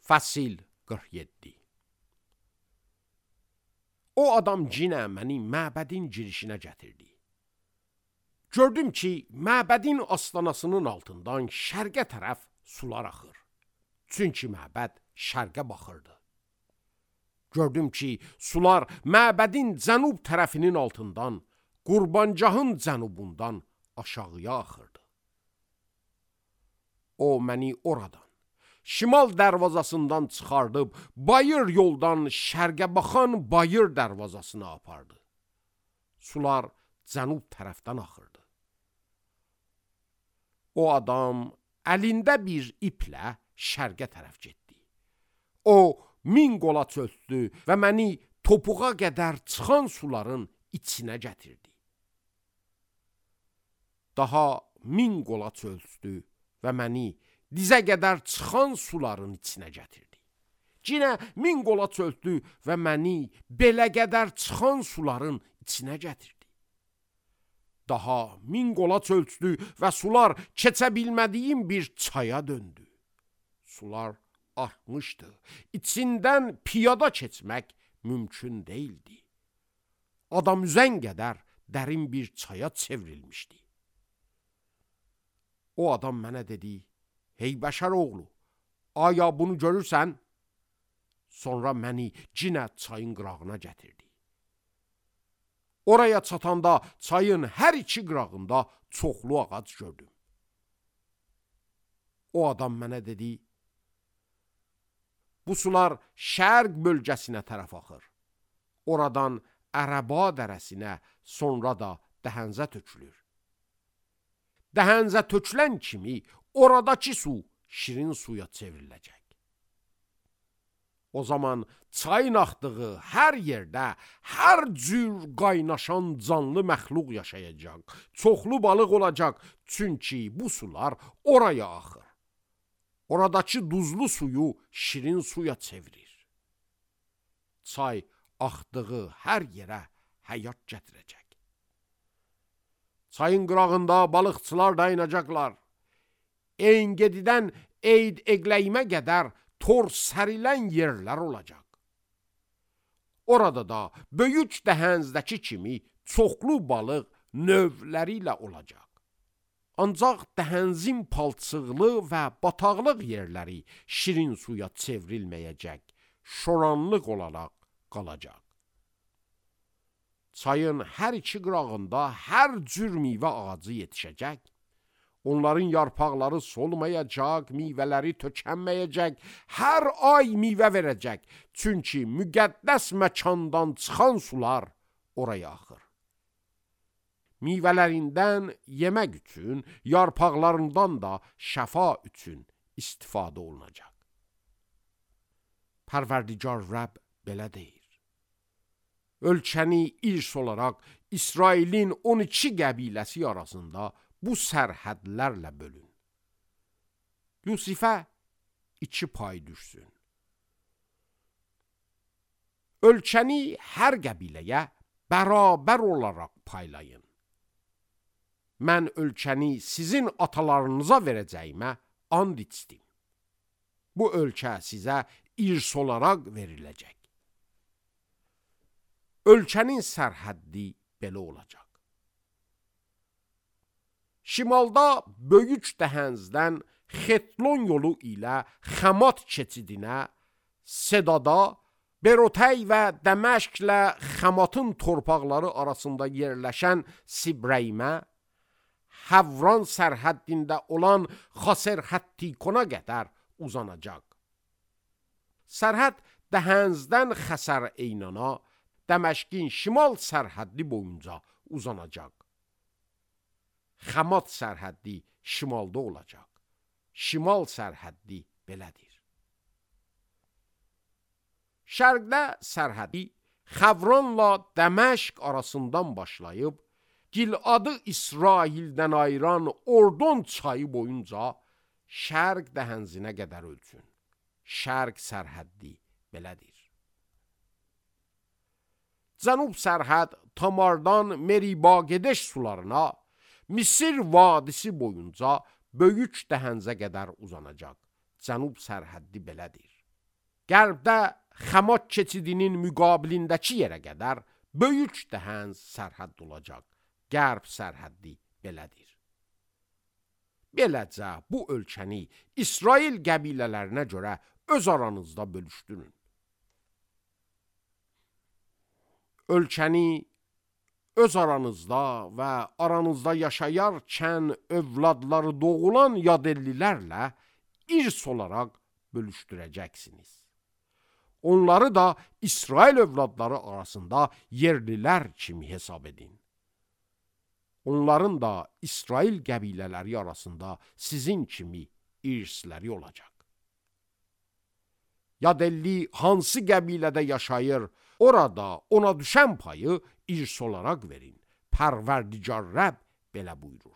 Fəsil 47. O adam cinə məni məbədin girişinə gətirdi. Gördüm ki, məbədin astanasının altından şərqə tərəf sular axır. Çünki məbəd şərqə baxırdı. Gördüm ki, sular məbədin cənub tərəfinin altından, qurbancahın cənubundan aşağıya axırdı. O məni oradan, şimal dərvazasından çıxardıb, bayır yoldan şərqə baxan bayır dərvazasına apardı. Sular cənub tərəfdən axırdı. O adam əlində bir iplə şərqə tərəf getdi. O 1000 qola çöltdü və məni topuğa qədər çıxan suların içinə gətirdi. Daha 1000 qola çöltdü və məni dizə qədər çıxan suların içinə gətirdi. Yenə 1000 qola çöltdü və məni belə qədər çıxan suların içinə gətirdi. Daha 1000 qola çöltdü və sular keçə bilmədiyim bir çaya döndü. Sular artmışdı. İçindən piyada keçmək mümkün değildi. Adam üzən qədər dərin bir çaya çevrilmişdi. O adam mənə dedi: "Hey bəşər oğlu, aya bunu görürsən?" Sonra məni cinə çayın qırağına gətirdi. Oraya çatanda çayın hər iki qırağında çoxlu ağac gördüm. O adam mənə dedi: "Bu sular şərq bölgəsinə tərəf axır. Oradan Ərəba dərəsinə, sonra da Dəhənzə tökülür. Dəhənzə tökülən kimi oradakı su şirin suya çevriləcək. O zaman çayın axdığı hər yerdə hər cür qaynaşan canlı məxluq yaşayacaq, çoxlu balıq olacaq, çünki bu sular oraya axır. Oradakı duzlu suyu şirin suya çevirir. Çay axdığı hər yerə həyat gətirəcək. Çayın qırağında balıqçılar dayanacaqlar. Engedidən Eyd Eqləyimə qədər tor sərilən yerlər olacaq. Orada da böyük dəhənzdəki kimi çoxlu balıq növləri ilə olacaq. Ancaq dəhənzin palçıqlı və bataqlıq yerləri şirin suya çevrilməyəcək, şoranlıq olaraq qalacaq. Çayın hər iki qırağında hər cür meyvə ağacı yetişəcək. Onların yarpaqları solmayacaq, meyvələri tökənməyəcək, hər ay meyvə verəcək. Çünki müqəddəs məkandan çıxan sular oraya axır. Meyvələrindən yemək üçün, yarpaqlarından da şəfa üçün istifadə olunacaq. Pərverdigar Rəbb belə deyir: ölkəni irs olaraq İsrailin 12 qəbiləsi arasında bu sərhədlərlə bölün. Yusifə 2 pay düşsün. Ölkəni hər qəbiləyə bərabər olaraq paylayın. Mən ölkəni sizin atalarınıza verəcəyimə and içdim. Bu ölkə sizə irs olaraq veriləcək. Ölkənin sərhəddi belə olacaq. Şimalda böyük dəhənzdən Xetlon yolu ilə Xəmat keçidinə, Sedada, Berotəy və Dəməşqlə Xəmatın torpaqları arasında yerləşən Sibrəymə, Həvran sərhəddində olan Xasərhəttikona qədər uzanacaq. Sərhəd dəhənzdən Xəsər Eynana, Dəməşqin şimal sərhəddi boyunca uzanacaq. Xəmat sərhəddi şimalda olacaq. Şimal sərhəddi belədir. Şərqdə sərhəddi Xəvranla Dəməşq arasından başlayıb, Giladı İsraildən ayıran Ordon çayı boyunca şərq dəhənzinə qədər ölçün. Şərq sərhəddi belədir. Cənub sərhəd Tamardan Meriba Gedeş sularına, Misir vadisi boyunca böyük dəhənzə qədər uzanacaq. Cənub sərhəddi belədir. Qərbdə Xəmat keçidinin müqabilindəki yerə qədər böyük dəhəz sərhəd olacaq. Qərb sərhəddi belədir. Beləcə bu ölkəni İsrail qəbilələrinə görə öz aranızda bölüşdürün. Ölkəni öz aranızda və aranızda yaşayarkən övladları doğulan yadellilərlə irs olaraq bölüşdürəcəksiniz. Onları da İsrail övladları arasında yerlilər kimi hesab edin. Onların da İsrail qəbilələri arasında sizin kimi irsləri olacaq. Yadelli hansı qəbilədə yaşayır, orada ona düşən payı irs olaraq verin. Pərverdigar Rəbb belə buyurur.